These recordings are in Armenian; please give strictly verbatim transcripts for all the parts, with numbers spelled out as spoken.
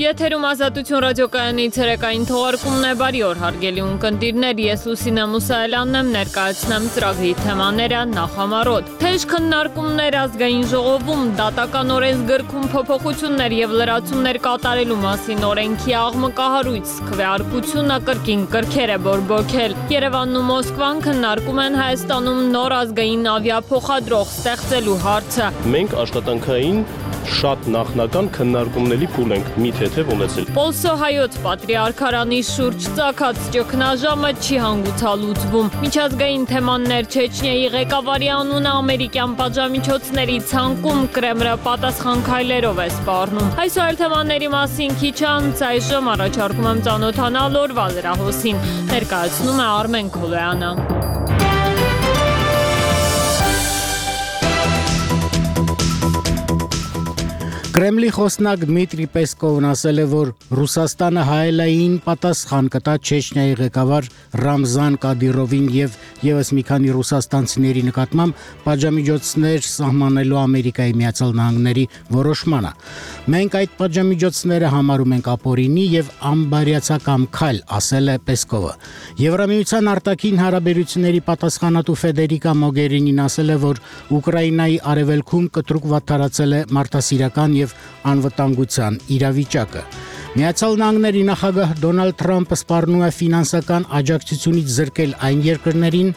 Եթերում Ազատություն ռադիոկայանի ցերեկային թողարկումն է, բարի օր հարգելի ունկնդիրներ, ես Լուսինե Մուսայելյանն եմ, ներկայացնեմ ծրագրի թեմաները նախամարոտ։ Թեժ քննարկումներ ազգային ժողովում, դատական օրենսգրքում փոփոխություններ եւ լրացումներ կատարելու մասին օրենքի աղմկահարույց, քվեարկությունը կրկին կրքեր է բորբոքել։ Երևանն ու Մոսկվան քննարկում են Հայաստանում նոր ազգային ավիափոխադրող ստեղծելու հարցը։ Մենք աշխատանքային շատ նախնական քննարկումների փուլ ենք մի թեթև ունեցել։ Պոլսոհայոց պատրիարքարանի շուրջ ծագած ճգնաժամը չի հանգուցալուծվում։ Միջազգային թեմաններ Չեչնիայի ղեկավարի անունը ամերիկյան պատժամիջոցների ցանկում Կրեմլը պատասխան քայլերով է սպառնում։ Այսօր այլ թեմաների մասին քիչ անց այժմ առաջարկում եմ ծանոթանալ օրվա լրահոսին։ Ներկայացնում է Արմեն Քոլոյանը։ Կրեմլի խոսնակ Դմիտրի Պեսկովն ասել է, որ Ռուսաստանը հայելային պատասխան կտա Չեչնիայի ղեկավար Ռամզան Կադիրովին եւ եւս մի քանի ռուսաստանցիների նկատմամբ պատժամիջոցներ սահմանելու Ամերիկայի Միացյալ Նահանգների որոշմանը։ Մենք այդ պատժամիջոցները համարում ենք ապօրինի եւ անբարյացակամ քայլ, ասել է Պեսկովը։ Եվրամիության արտաքին հարաբերությունների պատասխանատու Ֆեդերիկա Մոգերինին ասել է, որ Ուկրաինայի արևելքում կտրուկ վատթարացել է մարդասիրական եւ անվտանգության իրավիճակը։ Միացյալ Նահանգների նախագահ Դոնալդ Թրամփը սպառնում է ֆինանսական աջակցությունից զրկել այն երկրներին,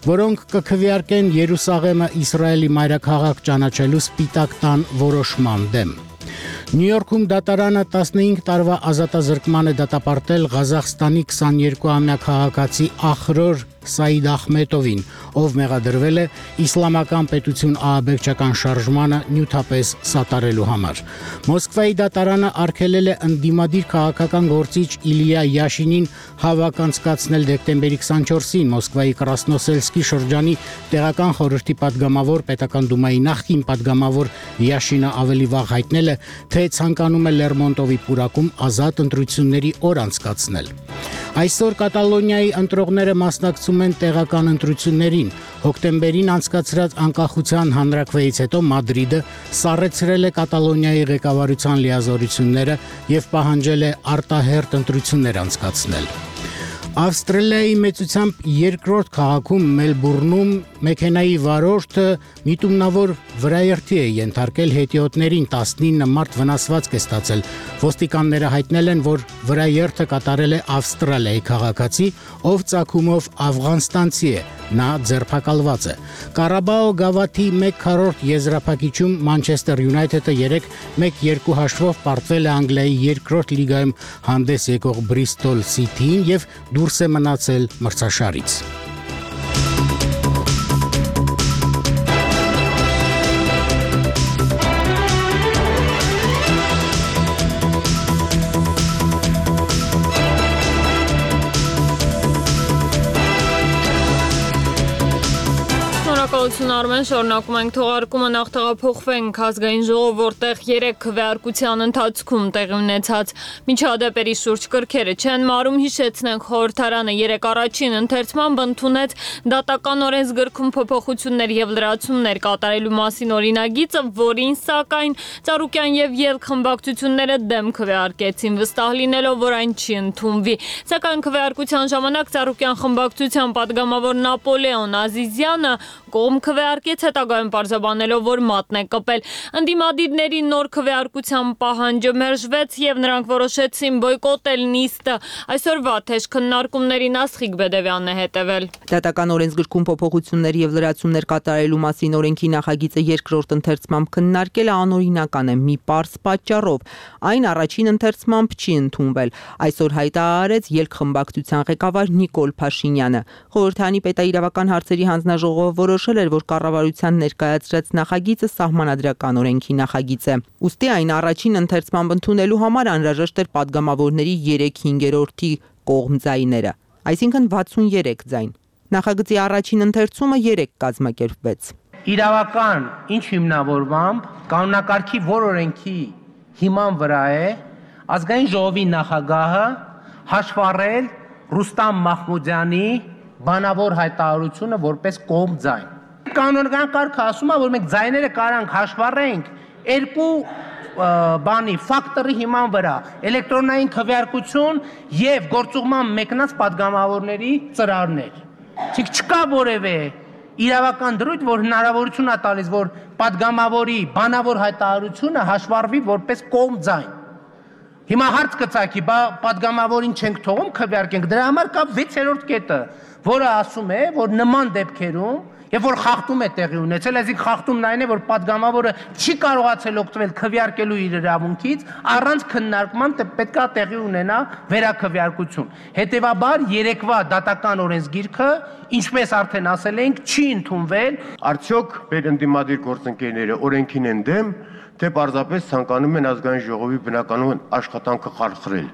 որոնք կքվեարկեն Երուսաղեմը Իսրայելի մայրաքաղաք ճանաչելու Սպիտակ տան որոշման դեմ։ Նյու Յորքում դատարանը տասնհինգ տարվա ազատազրկման է դատապարտել Ղազախստանի քսաներկուամյա քաղաքացի Ախրոր Սայիդ Ախմետովին, ով մեղադրվել է իսլամական պետություն ահաբեկչական շարժմանը նյութապես սատարելու համար։ Մոսկվայի դատարանը արգելել է ընդդիմադիր քաղաքական գործիչ Իլիա Յաշինին հավաք անցկացնել դեկտեմբերի քսանչորսին Մոսկվայի Կրասնոսելսկի շրջանի տեղական խորհրդի падգամավոր պետական դումայի նախկին падգամավոր Յաշինը ավելի վաղ հայտնել է, թե ցանկանում է Լերմոնտովի պուրակում ազատ ընտրությունների օր անցկացնել։ Այսօր Կատալոնիայի ընտրողները մասնակցում են տեղական ընտրություններին։ Հոկտեմբերին անցկացրած անկախության հանրաքվեից հետո Մադրիդը սառեցրել է Կատալոնիայի ղեկավարության լիազորությունները եւ պահանջել է արտահերթ ընտրություններ անցկացնել։ Ավստրալիայի մեծությամբ երկրորդ քաղաքում Մելբուրնում մեքենայի վարորդը միտումնավոր վրաերթի է ենթարկել հետիոտներին, տասնինը մարդ վնասվածք է ստացել։ Ոստիկանները հայտնել են, որ վրաերթը կատարել է Ավստրալիայի քաղաքացի, ով ծագումով աֆղանստանցի է, նա ձերբակալված է։ Կարաբաո գավաթի մեկ քառորդ եզրափակիչում Մանչեսթեր Յունայթեդը երեկ մեկ երկու հաշվով պարտվել է Անգլիայի երկրորդ լիգայում հանդես եկող Բրիստոլ Սիթիին եւ դուրս է մնացել մրցաշարից։ Արմեն, շարունակում ենք թողարկումը, նախ տեղափոխվենք ազգային ժողով, որտեղ երեք քվեարկության ընթացքում տեղի ունեցած միջադեպերի շուրջ կրքերը չեն մարում, հիշեցնենք խորհրդարանը երեկ առաջին ընթերցմամբ ընդունեց դատական օրենսգրքում փոփոխություններ եւ լրացումներ կատարելու մասին օրինագիծը, որին սակայն Ծառուկյան եւ ելք խմբակցությունները դեմ քվեարկեցին, վստահ լինելով, որ այն չի ընդունվի։ Սակայն քվեարկության ժամանակ Ծառուկյան խմբակցության падգամավոր Նապոլեոն Ազիզյանը կողմ քվեարկեց, հետագայում պարզաբանելով, որ մատն է կպել։ Ընդդիմադիրների նոր քվեարկության պահանջը մերժվեց եւ նրանք որոշեցին բոյկոտել նիստը։ Այսօրվա թեժ քննարկումներին Աստղիկ Բեդևյանն է հետևել։ Դատական օրենսգրքում փոփոխություններ եւ լրացումներ կատարելու մասին օրենքի նախագիծը երկրորդ ընթերցմամբ քննարկելը անօրինական է մի պարզ պատճառով։ Այն առաջին ընթերցմամբ չի ընդունվել։ Այսօր հայտարարեց ելք խմբակցության ղեկավար Նիկոլ Փաշինյանը։ Խորհրդանի պետաիրավական հարցերի հանձնաժողովը որոշել էր, որ կառավարության ներկայացրած նախագիծը սահմանադրական օրենքի նախագիծ է։ Ուստի այն առաջին ընթերցմամբ ընդունելու համար անհրաժեշտ էր падգամավորների երեք հինգերորդի կողմ ձայները, այսինքն վաթսուներեք ձայն։ Նախագծի առաջին ընթերցումը երեկ կազմակերպվեց։ Իրավական ինչ հիմնավորմամբ կանոնակարգի որ օրենքի հիման վրա է ազգային ժողովի նախագահը հաշվառել Ռուստամ Մահմուդյանի բանավոր հայտարարությունը որպես կողմ ձայն։ Կանոնական կարգը ասում է, որ մենք ձայները կարանք հաշվառենք երկու բանի ֆակտորի հիման վրա էլեկտրոնային քվեարկություն եւ գործուղման մեկնած падգամավորների ծրարներ։ Իսկ չկա որևէ իրավական դրույթ, որ հնարավորություն է տալիս, որ падգամավորի բանավոր հայտարարությունը հաշվառվի որպես կողմ ձայն։ Հիմա հարց կծագի, բա падգամավորին չենք թողում քվեարկենք, դրա համար կա վեցերորդ կետը, որը ասում է, որ նման դեպքերում, եւ որ խախտում է տեղի ունեցել, այսինքն խախտումն այն է, որ падգամավորը չի կարողացել օգտվել քվեարկելու իր իրավունքից, առանց քննարկման պետքա տեղի ունենա վերաքվեարկություն։ Հետևաբար երեկվա դատական օրենսգիրքը, ինչպես արդեն ասել ենք, չի ընդունվել։ Արդյոք մեր ընդդիմադիր գործընկերները օրենքին են դեմ, թե պարզապես ցանկանում են ազգային ժողովի բնականոն աշխատանքը խարխրել։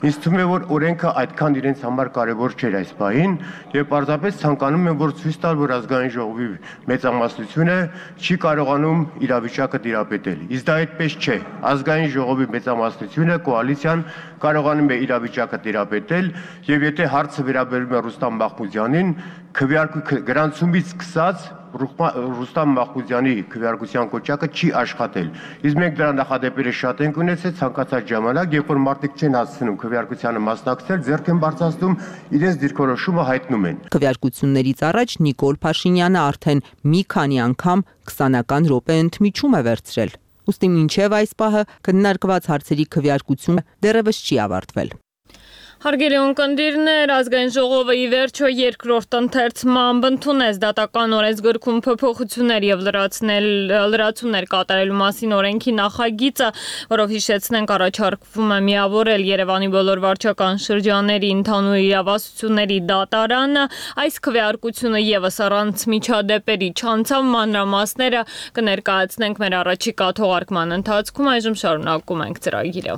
Ինձ թվում է, որ օրենքը այդքան իրենց համար կարևոր չէր այս պահին եւ պարզապես ցանկանում են, որ ցույց տալ, որ ազգային ժողովի մեծամասնությունը չի կարողանում իրավիճակը տիրապետել։ Իսկ դա այդպես չէ։ Ազգային ժողովի մեծամասնությունը կոալիցիան կարողանում է իրավիճակը տիրապետել եւ եթե հարցը վերաբերում է Ռուստամ Մախմուդյանին, քվեարկու գրանցումից սկսած Ռուստամ Մախմուդյանի քվեարկության կոչակը չի աշխատել։ Իսկ մենք դրա նախադեպերը շատ ենք ունեցել ցանկացած ժամանակ, երբ որ մարդիկ չեն հասցնում քվեարկությանը մասնակցել, ձեռք են բարձրացնում, իրենց դիրքորոշումը հայտնում են։ Քվեարկություններից առաջ Նիկոլ Փաշինյանը արդեն մի քանի անգամ քսանական րոպե ընդմիջում է վերցրել։ Ուստի մինչև այս պահը քննարկված հարցերի քվեարկությունը դեռևս չի ավարտվել։ Հարգելի ունկնդիրներ, ազգային ժողովը ի վերջո երկրորդ ընթերցմամբ ընդունեց դատական օրենսգրքում փոփոխություններ եւ լրացումներ կատարելու մասին օրենքի նախագիծը, որով հիշեցնենք առաջարկվում է միավորել Երևանի բոլոր վարչական շրջանների ընդհանուր իրավասությունների դատարանը, այս քվեարկությունը եւս առանց միջադեպերի չանցավ, մանրամասները կներկայացնենք մեր առաջիկա թողարկման ընթացքում, այժմ շարունակում ենք ծրագիրը։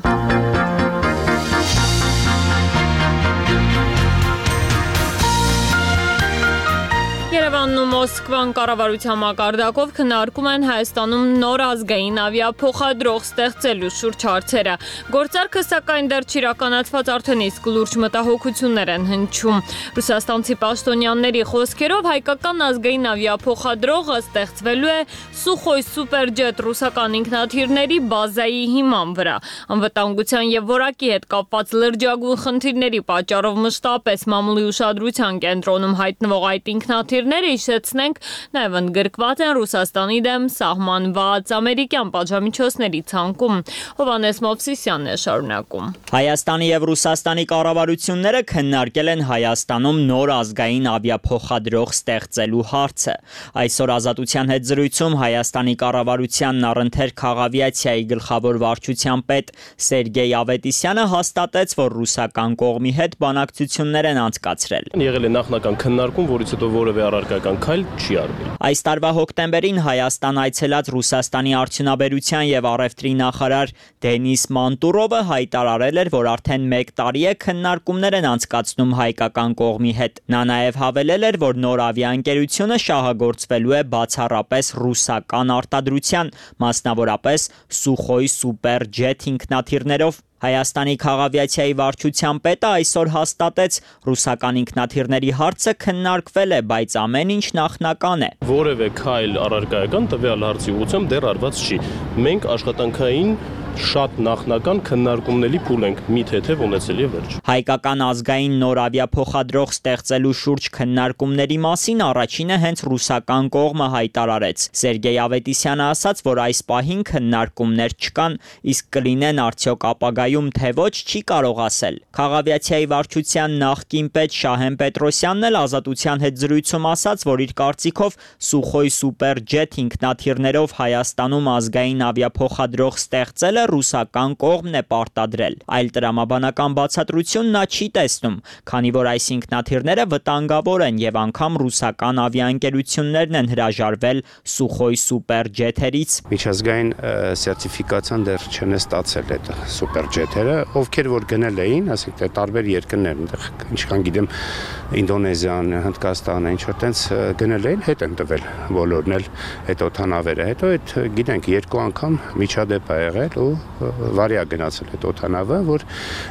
Երևանն ու Մոսկվան կառավարության մակարդակով քննարկում են Հայաստանում նոր ազգային ավիափոխադրող ստեղծելու շուրջ հարցերը։ Գործարքը սակայն դեռ չիրականացված արդեն իսկ լուրջ մտահոգություններ են հնչում։ Ռուսաստանցի պաշտոնյաների խոսքերով հայկական ազգային ավիափոխադրողը ստեղծվելու է Սուխոյ սուպերջետ ռուսական ինքնաթիռների բազայի հիման վրա։ Անվտանգության եւ որակի հետ կապված լրջագույն խնդիրների պատճառով մշտապես մամուլի ուշադրության կենտրոնում հայտնվող այդ ինքնաթիռները հիշեցնենք նաև ընդգրկված են Ռուսաստանի դեմ սահմանված ամերիկյան պատժամիջոցների ցանկում։ Հովհաննես Մովսիսյանն է շարունակում։ Հայաստանի եւ Ռուսաստանի կառավարությունները քննարկել են Հայաստանում նոր ազգային ավիափոխադրող ստեղծելու հարցը։ Այսօր Ազատության հետ զրույցում Հայաստանի կառավարությանն առընթեր քաղավիացիայի գլխավոր վարչության պետ Սերգեյ Ավետիսյանը հաստատեց, որ ռուսական կողմի հետ բանակցություններ են անցկացրել։ Եղել է նախնական քննարկում, որից հետո որևէ առարկական քայլ չի արվել։ Այս տարվա հոկտեմբերին Հայաստան այցելած Ռուսաստանի արդյունաբերության եւ առևտրի նախարար Դենիս Մանտուրովը հայտարարել էր, որ արդեն մեկ տարի է քննարկումներ են անցկացնում հայկական կողմի հետ։ Նա նաեւ հավելել էր, որ նոր ավիաընկերությունը շահագործվելու է բացառապես ռուսական արտադրության, մասնավորապես Սուխոյ սուպերջետ ինքնաթիռներով։ Հայաստանի քաղավիացիայի վարչության պետը այսօր հաստատեց, ռուսական ինքնաթիռների հարցը քննարկվել է, բայց ամեն ինչ նախնական է։ Որևէ քայլ առարկայական տվյալ հարցի ուղղությամբ դեռ արված չի։ Մենք աշխատանքային շատ նախնական քննարկումների փուլ ենք մի թեթև ունեցել եւ վերջ։ Հայկական ազգային նոր ավիափոխադրող ստեղծելու շուրջ քննարկումների մասին առաջինը հենց ռուսական կողմը հայտարարեց։ Սերգեյ Ավետիսյանը ասաց, որ այս պահին քննարկումներ չկան, իսկ կլինեն արդյոք ապագայում թե ոչ չի կարող ասել։ Քաղավիացիայի վարչության նախկին պետ Շահեն Պետրոսյանն էլ Ազատության հետ զրույցում ասաց, որ իր կարծիքով Սուխոյ սուպերջետ ինքնաթիռներով Հայաստանում ազգային ավիափոխադրող ստեղծելը ռուսական կողմն է պարտադրել։ Այլ տրամաբանական բացատրություն նա չի տեսնում, քանի որ այս ինքնաթիռները վտանգավոր են եւ անգամ ռուսական ավիաընկերություններն են հրաժարվել Սուխոյ սուպերջեթերից։ Միջազգային սերտիֆիկացիան դեռ չեն ստացել այդ սուպերջեթերը, ովքեր որ գնել էին, ասենք տարբեր երկրներ, այնտեղ ինչքան գիտեմ Ինդոնեզիան, Հնդկաստանը, ինչ որ տենց գնել էին, հետ են տվել բոլորն էլ այդ օթանավերը։ Հետո այդ գիտենք երկու անգամ միջադեպ ա եղել ու վարի է գնացել այդ օդանավը, որ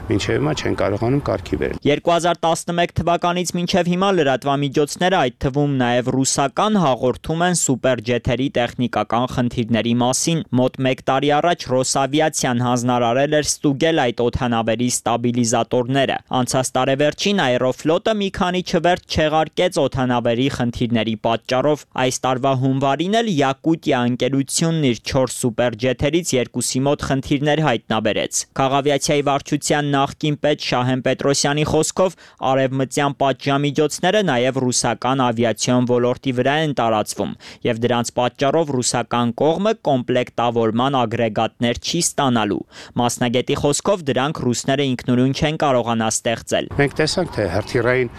մինչև հիմա չեն կարողանում կարգի բերել։ երկու հազար տասնմեկ թվականից մինչև հիմա լրատվամիջոցները, այդ թվում նաև ռուսական, հաղորդում են սուպերջեթերի տեխնիկական խնդիրների մասին։ Մոտ մեկ տարի առաջ Ռոսավիացիան հանձնարարել էր ստուգել այդ օդանավերի ստաբիլիզատորները։ Անցած տարեվերջին Aeroflot-ը մի քանի չվերթ չեղարկեց օդանավերի խնդիրների պատճառով։ Այս տարվա հունվարին էլ Յակուտիա ընկերությունն իր չորս սուպերջեթերից երկուսի մոտ խնդիրներ հայտնաբերեց։ Քաղավիացիայի վարչության նախկին պետ Շահեն Պետրոսյանի խոսքով արևմտյան պատժամիջոցները նաև ռուսական ավիացիոն ոլորտի վրա են տարածվում, եւ դրանց պատճառով ռուսական կողմը կոմպլեկտավորման ագրեգատներ չի ստանալու։ Մասնագետի խոսքով դրանք ռուսները ինքնուրույն չեն կարողանա ստեղծել։ Մենք տեսանք, թե հրթիռային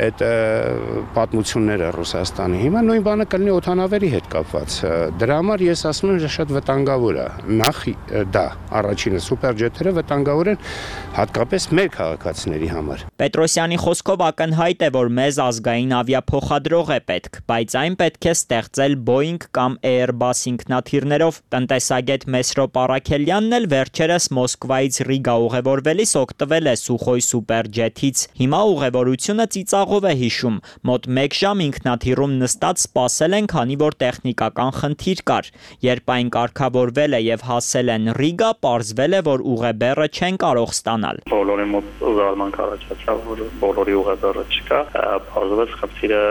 այդ պատմությունները Ռուսաստանի հիմա նույն բանը կլինի օդանավերի հետ կապված։ Դրա համար ես ասում եմ, շատ վտանգավոր է։ Նախ դա առաջինը սուպերջեթերը վտանգավոր են հատկապես մեր քաղաքացիների համար։ Պետրոսյանի խոսքով ակնհայտ է, որ մեզ ազգային ավիափոխադրող է պետք, բայց այն պետք է ստեղծել Boeing կամ Airbus ինքնաթիռներով։ Տնտեսագետ Մեսրոպ Առաքելյանն էլ վերջերս Մոսկվայից Ռիգա ուղևորվելիս օգտվել է Սուխոյ սուպերջեթից։ Հիմա ուղևորությունը ծիծաղով է հիշում։ Մոտ մեկ ժամ ինքնաթիռում նստած սպասել են, քանի որ տեխնիկական խնդիր կար։ Երբ այն կարգավորվել է եւ հասել են Ռիգա, պարզվել է, որ ուղեբեռը չեն կարող ստանալ։ Բոլորի մոտ զարմանք առաջացավ, որ բոլորի ուղեբեռը չկա։ Պարզվեց խնդիրը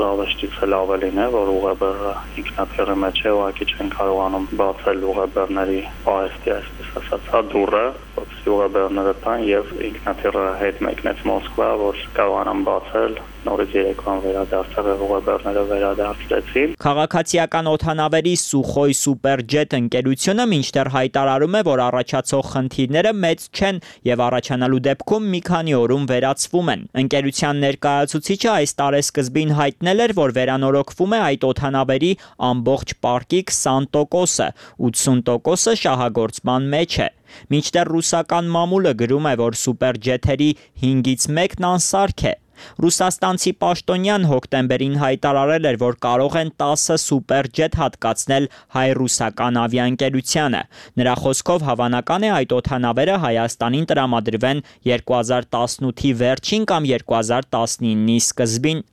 զավեշտից էլ ավելին է, որ ուղեբեռը ինքնաթիռի մեջ է, ուղղակի չեն կարողանում բացել ուղեբեռների պահեստի, այսպես ասած, դուռը, որպեսզի ուղեբեռները տան եւ ինքնաթիռը հետ մեկնեց Մոսկվա, որ կարողանան բացել։ Նորից երեկոյան վերադարձավ ուղեբեռները վերադարձրեցին։ Քաղաքացիական օդանավերի Սուխոյ սուպերջեթ ընկերությունը մինչդեռ հայտարարում է, որ առաջացող խնդիրները մեծ չեն եւ առաջանալու դեպքում մի քանի օրում վերացվում են։ Ընկերության ներկայացուցիչը այս տարեսկզբին հայտնել էր, որ վերանորոգվում է այդ օդանավերի ամբողջ պարկի քսան տոկոսը, ութսուն տոկոսը շահագործման մեջ է։ Մինչդեռ ռուսական մամուլը գրում է, որ սուպերջեթերի հինգից մեկն անսարք է։ Ռուսաստանցի պաշտոնյան հոկտեմբերին հայտարարել էր, որ կարող են տասը սուպերջեթ հատկացնել հայ-ռուսական ավիաընկերությանը։ Նրա խոսքով հավանական է այդ օդանավերը Հայաստանին տրամադրվեն երկու հազար տասնութի վերջին կամ երկու հազար տասնինի սկզբին։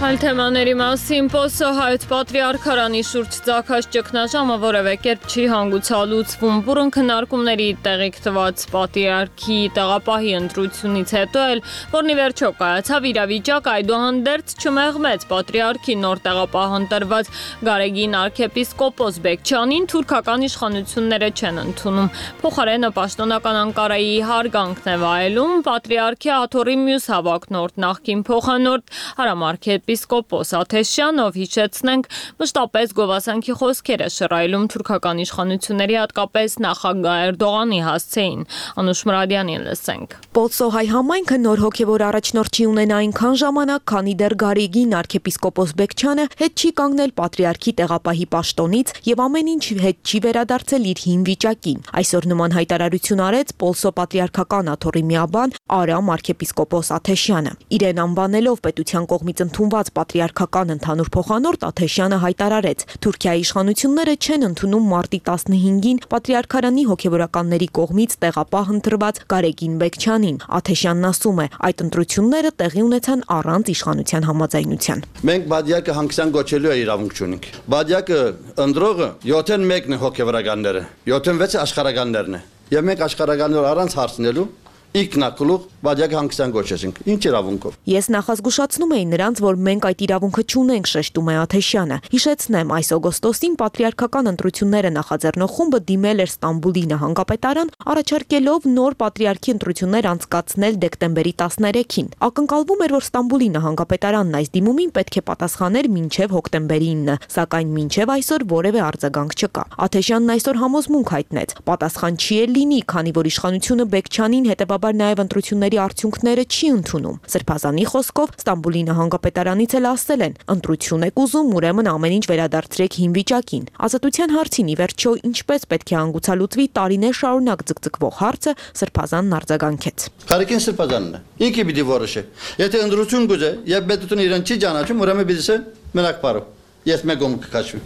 Այլ թեմաների մասին Պոսո հայոց պատրիարքարանի շուրջ ծագած ճգնաժամը որևէ կերպ չի հանգուցալուծվում։ Բուրըն քննարկումների տեղիք տված պատրիարքի տեղապահի ընտրությունից հետո էլ, որն ի վերջո կայացավ, իրավիճակը այդուհանդերձ չմեղմեց պատրիարքի նոր տեղապահ ընտրված Գարեգին arczepiskopos Բեկչյանին թուրքական իշխանությունները չեն ընդունում։ Փոխարենը պաշտոնական Անկարայի հարգանքն է վայելում պատրիարքի աթոռի մյուս հավակնորդ նախկին փոխանորդ Հարամարքեպ Եպիսկոպոս Աթեշյանով հիշեցնենք մշտապես գովասանքի խոսքերը շռայլում թուրքական իշխանությունների հատկապես նախագահ Էրդողանի հասցեին։ Անուշ Մուրադյանին լսենք։ Պոլսոհայ համայնքը նոր հոգևոր առաջնորդ չի ունենա այնքան ժամանակ, քանի դեռ Գարեգին arczepiskopos Բեկչյանը հետ չի կանգնել պատրիարքի տեղապահի պաշտոնից եւ ամեն ինչ հետ չի վերադարձել իր հին վիճակին։ Այսօր նման հայտարարություն արեց Պոլսո պատրիարքական աթոռի միաբան Արամ arczepiskopos Աթեշյանը։ Իրեն անվանելով պետության կողմից ընդունված պատրիարքական ընդհանուր փոխանորդ Աթեշյանը հայտարարեց. Թուրքիայի իշխանությունները չեն ընդունում մարտի տասնհինգին պատրիարքարանի հոգևորականների կողմից տեղապահ ընտրված Գարեգին Բեկչյանին։ Աթեշյանն ասում է, այդ ընտրությունները տեղի ունեցան առանց իշխանության համաձայնության։ Մենք բادیակը հանգստյան գոչելու է իրավունք չունենք։ Բادیակը ընդրողը յոթեն մեկն է հոգևորականները, յոթեն վեցը աշխարհականներն է։ Եվ մենք աշխարհականներ առանց հարցնելու Իգնակլուղ բادیակը հանգստյան գոչեցինք։ Ինչ իրավունքով։ Ես նախազգուշացնում էի նրանց, որ մենք այդ իրավունքը չունենք, շեշտում է Աթեշյանը։ Հիշեցնեմ, այս օգոստոսին պատրիարքական ընտրությունները նախաձեռնող խումբը դիմել էր Ստամբուլի նահանգապետարան, առաջարկելով նոր պատրիարքի ընտրություններ անցկացնել դեկտեմբերի տասներեքին։ Ակնկալվում էր, որ Ստամբուլի նահանգապետարանն այս դիմումին պետք է պատասխաներ մինչև հոկտեմբերի ինը, սակայն մինչև այսօր որևէ արձագանք չկա։ Աթեշյանն այսօր համոզմունք հայտնեց. պատասխան չի էլ լինի, քանի որ իշխանությունը Բեկչյանին հետևաբար նաև ընտրությունների արդյունքները չի ընդունում։ Սրբազանի խոսքով Ստամբուլի նահանգապետարանից էլ ասել են. ընտրություն եք ուզում, ուրեմն ամեն ինչ վերադարձրեք հին վիճակին։ Ազատության հարցին ի վերջո ինչպես պետք է հանգուցալուծվի տարիներ շարունակ ձգձգվող հարցը Սրբազանն արձագանքեց։ Գարեգին Սրբազանն է։ Ինքը պիտի որոշի։ Եթե ընտրություն գուզե, եւ պետությունը իրեն չի ճանաչում, ուրեմն պիտի մենակ բարով։ Ես մեկում կքաշվի։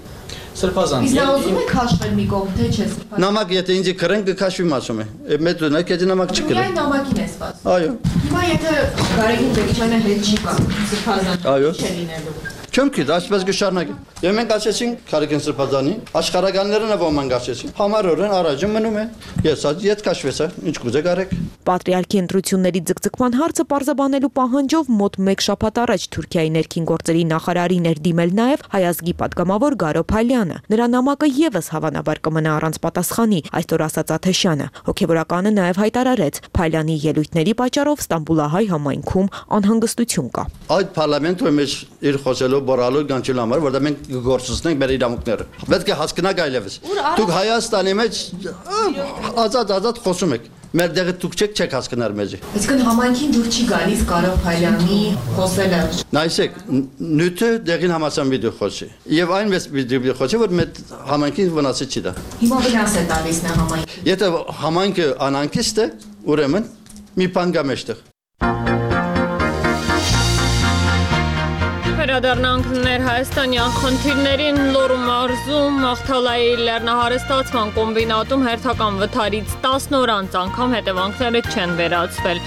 սրբազան։ Իսկ նա ուզում է քաշվել մի կողմ, թե չէ սրբազան։ Նամակ եթե ինձ քրեն կքաշվի ասում է։ Մեծ ունեք, եթե նամակ չկրեն։ Միայն նամակին է սպասում։ Այո։ Հիմա եթե Գարեգին Բեկչյանը հետ չի կա, սրբազան։ Այո։ Չէ լինելու։ Չեմ գիտի, այսպես կշարունակի։ Եվ մենք ասեցինք Գարեգին Սրբազանի, աշխարհականներն ոմանք ասեցին։ Համարորեն առաջը մնում է։ Ես ասի ետ քաշվեցա, ինչ կուզեք արեք։ Պատրիարքի ընտրությունների ձգձգման հարցը պարզաբանելու պահանջով մոտ մեկ շաբաթ առաջ Թուրքիայի ներքին գործերի նախարարին էր դիմել նաև հայազգի падգամավոր Գարո Փալյանը։ Նրա նամակը եւս հավանաբար կմնա առանց պատասխանի, այսօր ասաց Աթեշյանը։ Հոգևորականը նաև հայտարարեց Փալյանի ելույթների պատճառով Ստամբուլահայ համայնքում անհանգստություն կա։ Այդ parlamento մեջ իր խոսելով բորալու գանչելու համար, որտեղ մենք գործունենք մեր իրավունքները։ Պետք է հասկանաք այլևս։ Դուք Հայաստանի մեջ ազատ-ազատ խոսում եք։ Մեր դեղը դուք չեք չեք հասկանալ մեզ։ Այսինքն համայնքին դուր չի գալիս Գարո Փալյանի խոսելը։ Նայսեք, նյութը դեղին համասան վիդեո խոսի։ Եվ այնպես վիդեո խոսի, որ մեր համայնքին վնասը չի դա։ Հիմա վնաս է տալիս նա համայնքին։ Եթե համայնքը անանկիստ է, ուրեմն մի բան կա մեջտեղ։ Վերադառնանք Ներհայաստանյան խնդիրներին Լոռու մարզում Ախթալայի լեռնահարստացման կոմբինատում հերթական վթարից տասն օր անց անգամ հետևանքները չեն վերացվել։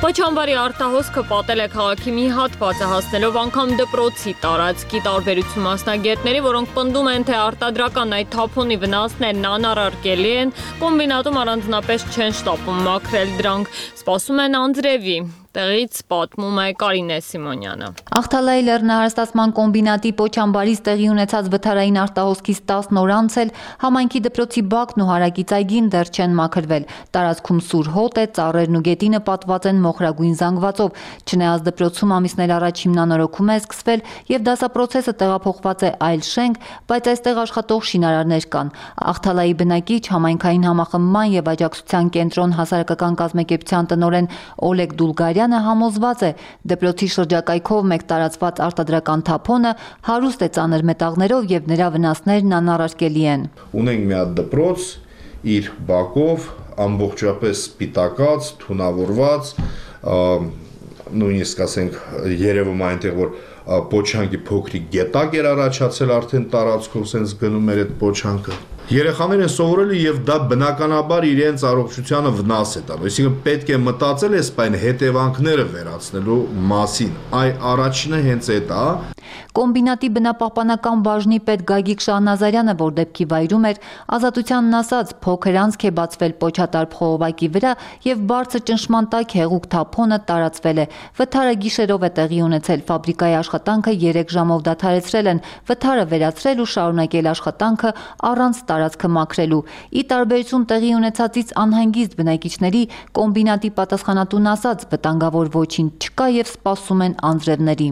Պոչամբարի արտահոսքը պատել է քաղաքի մի հատվածը հասնելով անգամ դպրոցի տարածքի տարբերություն մասնագետների, որոնք պնդում են, թե արտադրական այդ թափոնի վնասներն անառարկելի են, կոմբինատում առանձնապես չեն շտապում մաքրել դրանք, սպասում են անձրևի։ Տեղից պատմում է Կարինե Սիմոնյանը։ Ախթալայի լեռնահարստացման կոմբինատի Պոչամբարից տեղի ունեցած վթարային արտահոսքից տասն օր անց էլ համայնքի դպրոցի բակն ու հարակից այգին դեռ չեն մաքրվել։ Տարածքում սուր հոտ է, ծառերն ու գետինը պատված են մոխրագույն զանգվածով։ Չնայած դպրոցում ամիսներ առաջ հիմնանորոգում է սկսվել եւ դասապրոցեսը տեղափոխված է այլ շենք, բայց այստեղ աշխատող շինարարներ կան։ Ախթալայի բնակիչ համայնքային համախմբման եւ աջակցության կենտրոն հասարակական կազմակերպության տնօրեն Օլեգ Դուլգարյանը համոզված է, դպրոցի շրջակայքով մեկ տարածված արտադրական թափոնը հարուստ է ծանր մետաղներով եւ նրա վնասներն անառարկելի են։ Ունենք մի հատ դպրոց իր բակով ամբողջապես սպիտակած, թունավորված, նույնիսկ ասենք երևում այնտեղ որ պոչանկի փոքրիկ գետակ էր առաջացել արդեն տարածքով sense գնում էր այդ պոչանկը։ Երեխաները սովորել են եւ դա բնականաբար իրենց առողջությանը վնաս է տալու։ Այսինքն պետք է մտածել էս բան հետևանքները վերացնելու մասին։ Այ առաջինը հենց այդ է։ Կոմբինատի բնապահպանական բաժնի պետ Գագիկ Շահնազարյանը, որ դեպքի վայրում էր, Ազատությանն ասաց, փոքր անցք է բացվել Պոչատարբ խողովակի վրա եւ բարձր ճնշման տակ հեղուկ թափոնը տարածվել է։ Վթարը գիշերով է տեղի ունեցել, ֆաբրիկայի աշխատանքը երեք ժամով դադարեցրել են, վթարը վերացրել ու շարունակել աշխատանքը առանց տարածքը մաքրելու։ Ի տարբերություն տեղի ունեցածից անհանգիստ բնակիչների, կոմբինատի պատասխանատուն ասաց, վտանգավոր ոչինչ չկա եւ սպասում են անձրևների։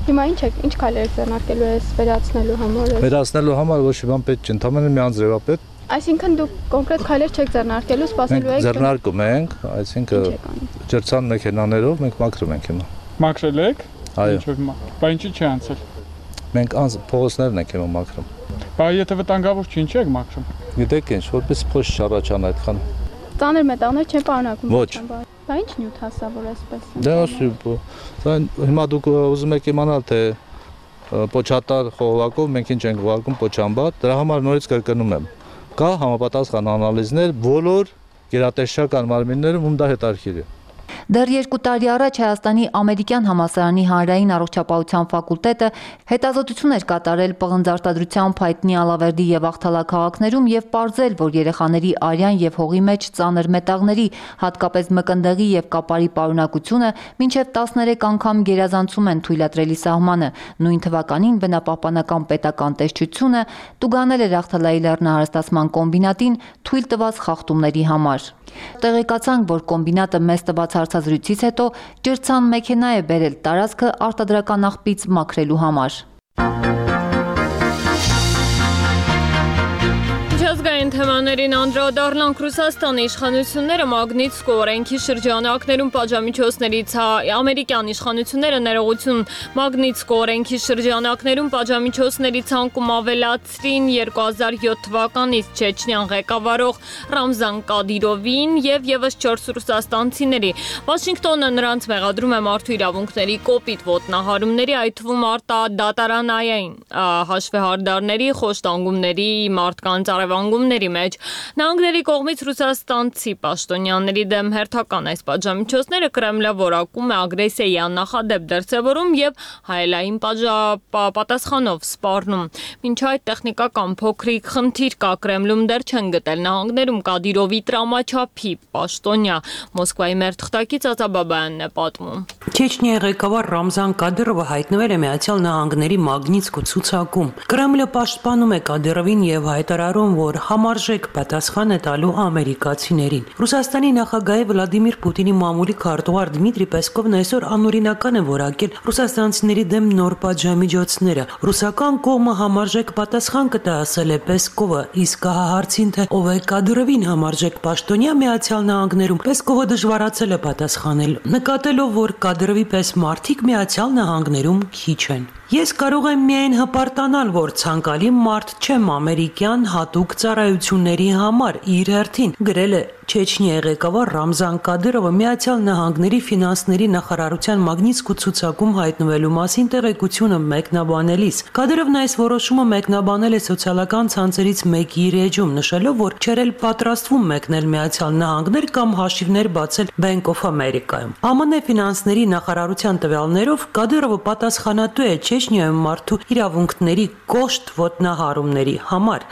Հիմա ինչ է, ինչ քայլեր ձեռնարկելու ես վերացնելու համար։ Վերացնելու համար ոչ մի բան պետք չէ, ընդհանրապես մի անձրևապետ։ Այսինքն դուք կոնկրետ քայլեր չեք ձեռնարկելու, սպասելու եք։ Ձեռնարկում ենք, այսինքն ջրցան մեքենաներով մենք մաքրում ենք հիմա։ Մաքրել եք։ Այո։ Բա ինչի՞ չի անցել։ Մենք անց փողոցներն ենք հիմա մաքրում։ Բա եթե վտանգավոր չի, ինչի՞ եք մաքրում։ Գիտեք ինչ, որպես փոշ չառաջանա այդքան։ Ծանր մետաղներ չեն պարունակում։ Ոչ։ Բա ինչ նյութ հասա որ այսպես։ Դա ասի, հիմա դուք ուզում եք իմանալ թե Պոչատար խողովակով մենք ինչ ենք ուղարկում Պոչամբար, դրա համար նորից կրկնում եմ։ Կա համապատասխան անալիզներ բոլոր գերատեսչական մարմիններում, ում դա հետարքիր է։ Դեռ երկու տարի առաջ Հայաստանի ամերիկյան համալսարանի հանրային առողջապահության ֆակուլտետը հետազոտություն էր կատարել պղնձարտադրությամբ հայտնի Ալավերդի եւ Ախթալա քաղաքներում եւ պարզել, որ երեխաների արյան եւ հողի մեջ ծանր մետաղների, հատկապես մկնդեղի եւ կապարի պարունակությունը մինչեւ տասներեք անգամ գերազանցում են թույլատրելի սահմանը։ Նույն թվականին բնապահպանական պետական տեսչությունը տուգանել էր Ախթալայի լեռնահարստացման կոմբինատին թույլ տված խախտումների համար։ Տեղեկացանք, որ կոմբինատը մեծ տված հարցազրույցից հետո ջրցան մեքենա է բերել տարածքը արտադրական աղբից մաքրելու համար։ Միջազգային Այժմ թեմաներին անդրադառնանք. Ռուսաստանի իշխանությունները Մագնիտսկու օրենքի շրջանակներում պատժամիջոցներից ամերիկյան իշխանությունները ներողություն Մագնիտսկու օրենքի շրջանակներում պատժամիջոցների ցանկում ավելացրին երկու հազար յոթ թվականից Չեչնիան ղեկավարող Ռամզան Կադիրովին եւ եւս չորս ռուսաստանցիների։ Վաշինգտոնը նրանց մեղադրում է մարդու իրավունքների կոպիտ ոտնահարումների, այդ թվում արտադատարանային հաշվեհարդարների, խոշտանգումների, մարդկանց արևանգումների մեջ։ Նահանգների կողմից ռուսաստանցի պաշտոնյաների դեմ հերթական այս պատժամիջոցները Կրեմլը որակում է ագրեսիայի աննախադեպ դրսևորում եւ հայելային պատասխանով սպառնում։ Մինչ այդ տեխնիկական փոքրիկ խնդիր կա, Կրեմլում դեռ չեն գտել նահանգներում Կադիրովի տրամաչափի պաշտոնյա։ Մոսկվայի մեր թղթակից Ածաբաբայանն է պատմում։ Չեչնիայի ղեկավար Ռամզան Կադիրովը հայտնվել է Միացյալ Նահանգների Մագնիտսկու ցուցակում։ Կրեմլը պաշտպանում է Կադիրովին եւ հայտարարում, որ համարժեք պատասխան է տալու ամերիկացիներին։ Ռուսաստանի նախագահ Վլադիմիր Պուտինի մամուլի քարտուղար Դմիտրի Պեսկովն այսօր անօրինական է որակել ռուսաստանցիների դեմ նոր պատժամիջոցները։ Ռուսական կողմը համարժեք պատասխան կտա, ասել է Պեսկովը, իսկ հարցին, թե ով է Կադիրովին համարժեք պաշտոնյա Միացյալ Նահանգներում, Պեսկովը դժվարացել է պատասխանել, նկատելով, որ Կադիրովի պես մարդիկ Միացյալ Նահանգներում քիչ են։ Ես կարող եմ միայն հպարտանալ, որ ցանկալի մարդ չեմ ամերիկյան հատուկ ծառայությունների համար, իր հերթին, գրել է Չեչնիայի ղեկավար Ռամզան Կադիրովը Միացյալ Նահանգների ֆինանսների նախարարության Մագնիտսկու ցուցակում հայտնվելու մասին տեղեկությունը մեկնաբանելիս։ Կադիրովն այս որոշումը մեկնաբանել է սոցիալական ցանցերից մեկի իր էջում, նշելով, որ չէր էլ պատրաստվում մեկնել Միացյալ Նահանգներ կամ հաշիվներ բացել Bank of America-ում։ ԱՄՆ ֆինանսների նախարարության տվյալներով Կադիրովը պատասխանատու է Չեչնիայում մարդու իրավունքների կոշտ ոտնահարումների համար։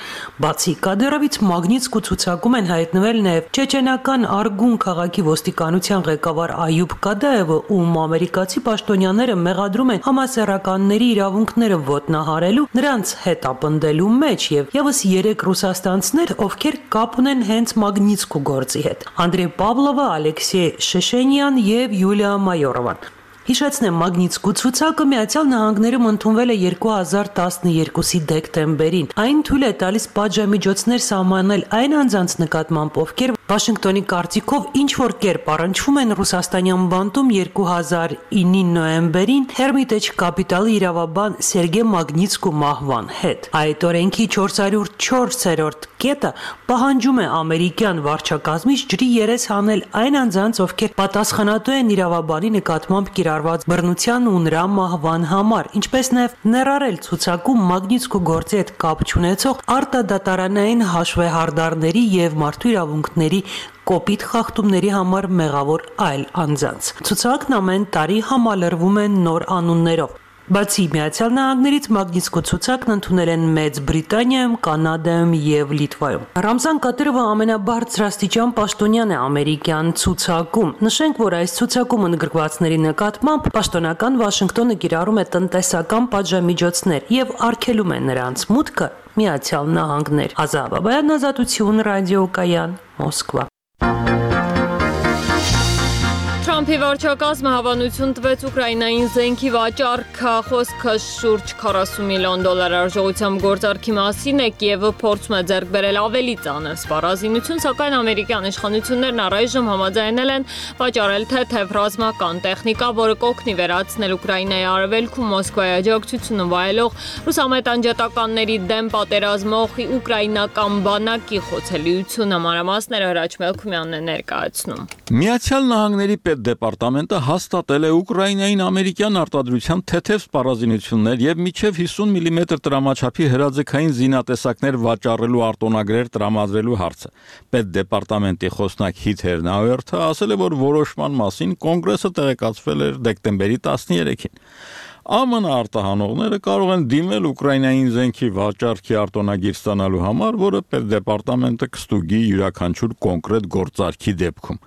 Բացի Կադիրովից Մագնիտսկու ցուցակում են հայտնվել նաև Չեչենական Արգուն քաղաքի ոստիկանության ղեկավար Այուբ Կադաևը, ում ամերիկացի պաշտոնյաները մեղադրում են համասեռականների իրավունքները ոտնահարելու, նրանց հետ ապնդելու մեջ եւ եւս երեք ռուսաստանցիներ, ովքեր կապ ունեն հենց Մագնիտսկու գործի հետ։ Անդրեյ Պավլովը, Ալեքսեյ Շեշենյան եւ Յուլիա Մայորովան։ Հիշեցնեմ, Մագնիտսկու ցուցակը Միացյալ Նահանգներում ընդունվել է երկու հազար տասներկուի դեկտեմբերին։ Այն թույլ է տալիս պատժամիջոցներ սահմանել այն անձանց նկատմամբ, ովքեր Վաշինգտոնի կարծիքով ինչ որ կերպ առնչվում են ռուսաստանյան բանտում երկու հազար իննի նոյեմբերին Hermitage Capital-ի իրավաբան Սերգեյ Մագնիտսկու մահվան հետ։ Այդ օրենքի չորսսուն ու չորսերորդ կետը պահանջում է ամերիկյան վարչակազմից ջրի երես հանել այն անձանց, ովքեր պատասխանատու են իրավաբանի նկատմամբ կիրառված բռնության ու նրա մահվան համար, ինչպես նաև ներառել ցուցակում Մագնիտսկու գործի հետ կապ չունեցող արտադատարանային հաշվեհարդարների եւ մարդու իրավունքների կոպիտ խախտումների համար մեղավոր այլ անձանց։ Ցուցակն ամեն տարի համալրվում է նոր անուններով։ Բացի Միացյալ Նահանգներից Մագնիտսկու ցուցակն ընդունել են Մեծ Բրիտանիայում, Կանադայում եւ Լիտվայում։ Ռամզան Կադիրովը ամենաբարձրաստիճան պաշտոնյան է ամերիկյան ցուցակում։ Նշենք, որ այս ցուցակում ընդգրկվածների նկատմամբ պաշտոնական Վաշինգտոնը կիրառում է տնտեսական պատժամիջոցներ եւ արգելում է նրանց մուտքը Միացյալ Նահանգներ։ Ազատաբայան, Ազատություն, ռադիոկայան, Մոսկվա։ Թրամփի վարչակազմը հավանություն տվեց Ուկրաինային զենքի վաճառքը, խոսքը շուրջ քառասուն միլիոն դոլար արժողությամբ գործարքի մասին է, Կիևը փորձում է ձեռք բերել ավելի ծանր սպառազինություն, սակայն ամերիկյան իշխանություններն առայժմ համաձայնել են վաճառել թեթև ռազմական տեխնիկա, որը կօգնի վերացնել Ուկրաինայի արևելքում Մոսկվայի աջակցությունը վայելող ռուսամետ անջատականների դեմ պատերազմող ուկրաինական բանակի խոցելիությունը։ Մանրամասները Հրաչ Մելքումյանն է ներկայացնում։ Միացյալ Նահանգների պետդեպարտամենտը հաստատել է Ուկրաինային ամերիկյան արտադրության թեթև սպառազինություններ եւ մինչեւ հիսուն միլիմետր տրամաչափի հրաձգային զինատեսակներ վաճառելու արտոնագրեր տրամադրելու հարցը։ Պետդեպարտամենտի խոսնակ Հիթեր Նաուերթը ասել է, որ որոշման մասին կոնգրեսը տեղեկացվել էր դեկտեմբերի տասներեքին։ ԱՄՆ արտահանողները կարող են դիմել Ուկրաինային զենքի վաճառքի արտոնագիր ստանալու համար, որը պետդեպարտամենտը կստուգի յուրաքանչյուր կոնկրետ գործարքի դեպքում։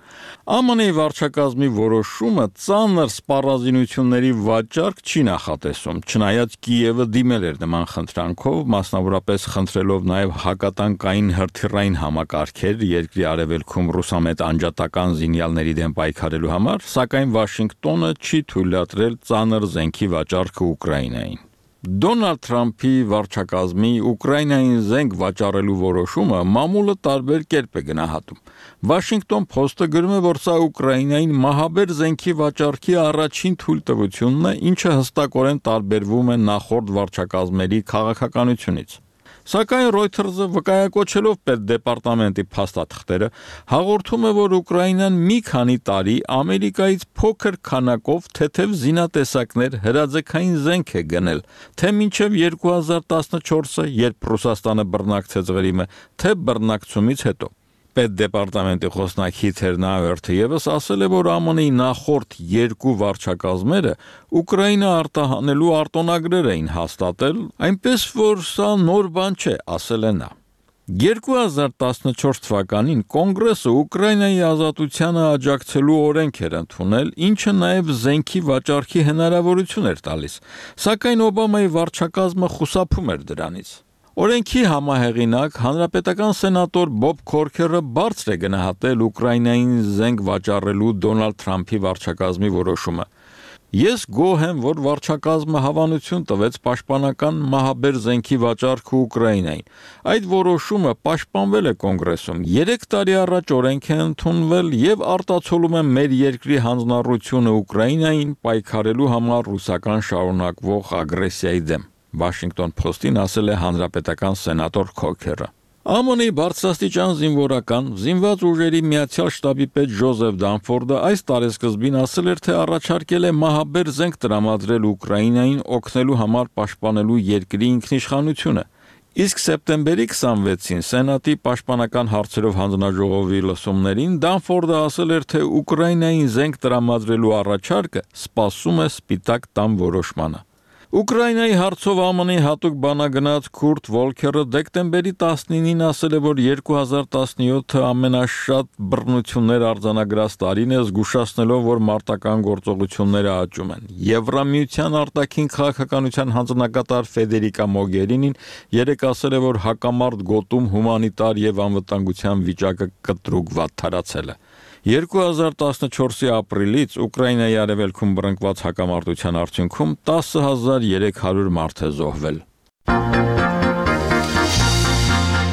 ԱՄՆ-ի վարչակազմի որոշումը ծանր սպառազինությունների վաճառք չի նախատեսում, չնայած Կիևը դիմել էր նման խնդրանքով, մասնավորապես խնդրելով նաև հակատանկային հրթիռային համակարգեր երկրի արևելքում ռուսամետ անջատական զինյալների դեմ պայքարելու համար, սակայն Վաշինգտոնը չի թույլատրել ծանր զենքի վաճառքը Ուկրաինային։ Դոնալդ Թրամփի վարչակազմի Ուկրաինային զենք վաճառելու որոշումը մամուլը տարբեր կերպ է գնահատում։ Washington Post-ը գրում է, որ սա Ուկրաինային մահաբեր զենքի վաճառքի առաջին թույլտվությունն է, ինչը հստակորեն տարբերվում է նախորդ վարչակազմերի քաղաքականությունից։ Սակայն Reuters-ը վկայակոչելով պետդեպարտամենտի փաստաթղթերը հաղորդում է, որ Ուկրաինան մի քանի տարի Ամերիկայից փոքր քանակով թեթև զինատեսակներ հրաձգային զենք է գնել, թե մինչև երկու հազար տասնչորսը, երբ Ռուսաստանը բռնակցեց Ղրիմը, թե բռնակցումից հետո։ Պետդեպարտամենտի խոսնակ Heather Nauert-ը ևս ասել է, որ ԱՄՆ-ի նախորդ երկու վարչակազմերը Ուկրաինա արտահանելու արտոնագրեր էին հաստատել, այնպես որ սա նոր բան չէ, ասել է նա։ երկու հազար տասնչորս թվականին Կոնգրեսը Ուկրաինայի ազատությանը աջակցելու օրենք էր ընդունել, ինչը նաև զենքի վաճառքի հնարավորություն էր տալիս, սակայն Օբամայի վարչակազմը խուսափում էր դրանից։ Օրենքի համահեղինակ հանրապետական սենատոր Բոբ Քորքերը բարձր է գնահատել Ուկրաինային զենք վաճառելու Դոնալդ Թրամփի վարչակազմի որոշումը։ Ես գոհ եմ, որ վարչակազմը հավանություն տվեց պաշտպանական մահաբեր զենքի վաճառքը Ուկրաինային։ Այդ որոշումը պաշտպանվել է Կոնգրեսում։ Երեք տարի առաջ օրենք է ընդունվել եւ արտացոլում է մեր երկրի հանձնառությունը Ուկրաինային պայքարելու համար ռուսական շարունակվող ագրեսիայի դեմ։ Washington Post-ին ասել է հանրապետական սենատոր Քոքերը։ ԱՄՆ-ի բարձրաստիճան զինվորական զինված ուժերի Միացյալ շտաբի պետ Ջոզեֆ Դանֆորդը այս տարեսկզբին ասել էր, թե առաջարկել է մահաբեր զենք տրամադրել Ուկրաինային օգնելու համար պաշտպանելու երկրի ինքնիշխանությունը։ Իսկ սեպտեմբերի քսանվեցին Սենատի պաշտպանական հարցերով հանձնաժողովի լսումներին Դանֆորդը ասել էր, թե Ուկրաինային զենք տրամադրելու առաջարկը սպասում է Սպիտակ տան որոշմանը։ Ուկրաինայի հարցով ԱՄՆ-ի հատուկ բանագնաց Քուրտ Վոլքերը դեկտեմբերի տասնինին ասել է, որ երկու հազար տասնյոթը ամենաշատ բռնություններ արձանագրած տարին է, զգուշացնելով, որ մարտական գործողությունները աճում են։ Եվրամիության արտաքին քաղաքականության հանձնակատար Ֆեդերիկա Մոգերինին երեկ ասել է, որ հակամարտ գոտում հումանիտար եւ անվտանգության վիճակը կտրուկ վատթարացել է։ երկու հազար տասնչորսի ապրիլից Ուկրաինայի արևելքում բռնկված հակամարտության արդյունքում տասը հազար երեք հարյուր մարդ է զոհվել։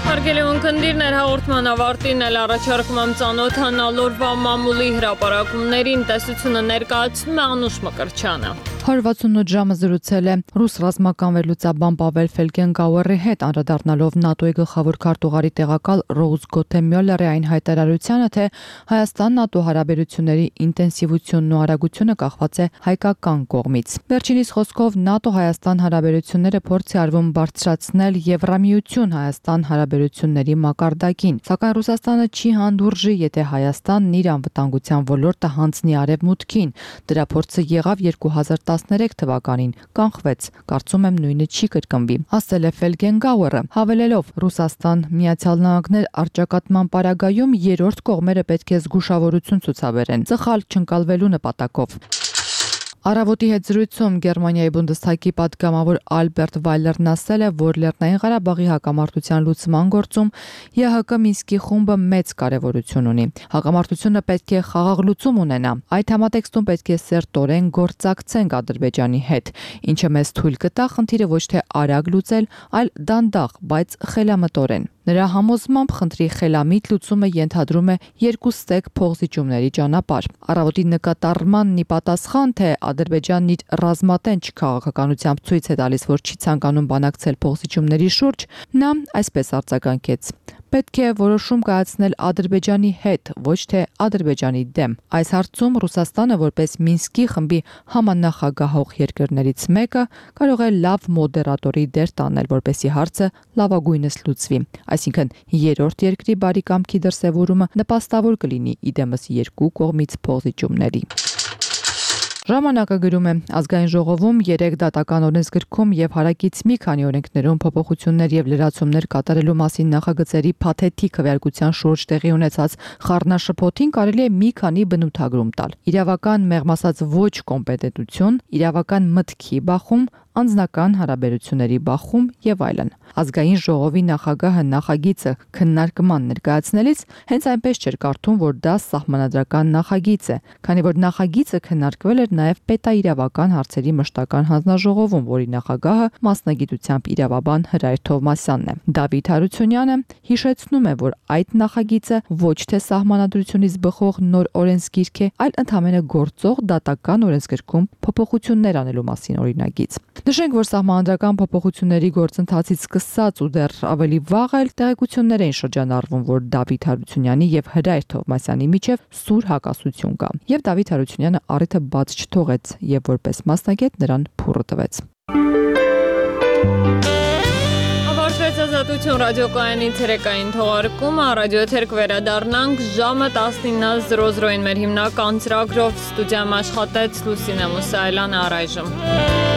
Հարգելի ունկնդիրներ, հաղորդման ավարտին էլ առաջարկում եմ ծանոթանալու մամուլի հրապարակումներին, տեսությունը ներկայացնում է Անուշ Մկրտչյանը։ one sixty-eight ժամը զրուցել է ռուս ռազմական վերլուծաբան Պավել Ֆելգենգաուերի հետ, անդրադառնալով ՆԱՏՕ-ի գլխավոր քարտուղարի տեղակալ Ռոուզ Գոթե Մյոլլերի այն հայտարարությանը, թե Հայաստան-ՆԱՏՕ հարաբերությունների ինտենսիվությունն ու արագությունը կախված է հայկական կողմից։ Վերջինիս խոսքով ՆԱՏՕ Հայաստան հարաբերությունները փորձ է արվում բարձրացնել Եվրամիություն Հայաստան հարաբերությունների մակարդակին, սակայն Ռուսաստանը չի հանդուրժի, եթե Հայաստանն իր անվտանգության ոլորտը հանձնի արևմուտքին։ Դրա փորձը եղավ երկու հազար տասներեք թվականին, կանխվեց, կարծում եմ նույնը չի կրկնվի, ասել է Ֆելգենգաուերը, հավելելով Ռուսաստան Միացյալ Նահանգներ առճակատման պարագայում երրորդ կողմերը պետք է զգուշավորություն ցուցաբերեն, սխալ չընկալվելու նպատակով։ Առավոտի հետ զրույցում Գերմանիայի Բունդեսթագի պատգամավոր Ալբերտ Վայլերն ասել է, որ Լեռնային Ղարաբաղի հակամարտության լուծման գործում ԵՀԿ Մինսկի խումբը մեծ կարևորություն ունի։ Հակամարտությունը պետք է խաղաղ լուծում ունենա։ Այդ համատեքստում պետք է սերտորեն գործակցենք Ադրբեջանի հետ, ինչը մեզ թույլ կտա խնդիրը ոչ թե արագ լուծել, այլ դանդաղ, բայց խելամտորեն։ Նրա համոզմամբ խնդրի խելամիտ լուծումը ենթադրում է երկու ստեկ փոխզիջումների ճանապարհ։ Առավոտի նկատառմանն ի պատասխան, թե Ադրբեջանն իր ռազմատենչ քաղաքականությամբ ցույց է տալիս, որ չի ցանկանում բանակցել փոխզիջումների շուրջ, նա այսպես արձագանքեց. Պետք է որոշում կայացնել Ադրբեջանի հետ, ոչ թե Ադրբեջանի դեմ։ Այս հարցում Ռուսաստանը, որպես Մինսկի խմբի համանախագահող երկրներից մեկը, կարող է լավ մոդերատորի դեր տանել, որպեսզի հարցը լավագույնս լուծվի։ Այսինքն երրորդ երկրի բարի կամքի դրսևորումը նպաստավոր կլինի իդեմս երկու կողմից փոխզիջումների։ Ժամանակը գրում է ազգային ժողովում երեք դատական օրենսգրքում եւ հարակից մի քանի օրենքներում փոփոխություններ եւ լրացումներ կատարելու մասին նախագծերի փաթեթիկ քվեարկության շուրջ տեղի ունեցած խառնաշփոթին կարելի է մի քանի բնութագրում տալ։ Իրավական մեղմ ասած ոչ կոմպետենտություն, իրավական մտքի բախում, անձնական հարաբերությունների բախում եւ այլն։ Ազգային ժողովի նախագահը նախագիծը քննարկման ներկայացնելիս հենց այնպես չէր կարդում, որ դա սահմանադրական նախագիծ է, քանի որ նախագիծը քննարկվել էր նաեւ պետաիրավական հարցերի մշտական հանձնաժողովում, որի նախագահը մասնագիտությամբ իրավաբան Հրայր Թովմասյանն է։ Դավիթ Հարությունյանը հիշեցնում է, որ այդ նախագիծը ոչ թե սահմանադրությունից բխող նոր օրենսգիրք է, այլ ընդհանրապես գործող դատական օրենսգրքում փոփոխություններ անելու մասին օրինագիծ։ Նշենք, որ սահմանադրական փոփոխությունների գործընթացից սկսած ու դեռ ավելի վաղ էլ տեղեկություններ էին շրջանառվում, որ Դավիթ Հարությունյանի եւ Հրայր Թովմասյանի միջև սուր հակասություն կա։ Եվ Դավիթ Հարությունյանը առիթը բաց չթողեց եւ որպես մասնագետ նրան փուռը տվեց։ Ավարտվեց Ազատություն ռադիոկայանի ցերեկային թողարկումը, ռադիոթերք վերադառնանք ժամը տասնինը զրո զրոին մեր հիմնական ծրագրով ստուդիայում աշխատեց Լուսինե Մուսայելյանը առայժմ։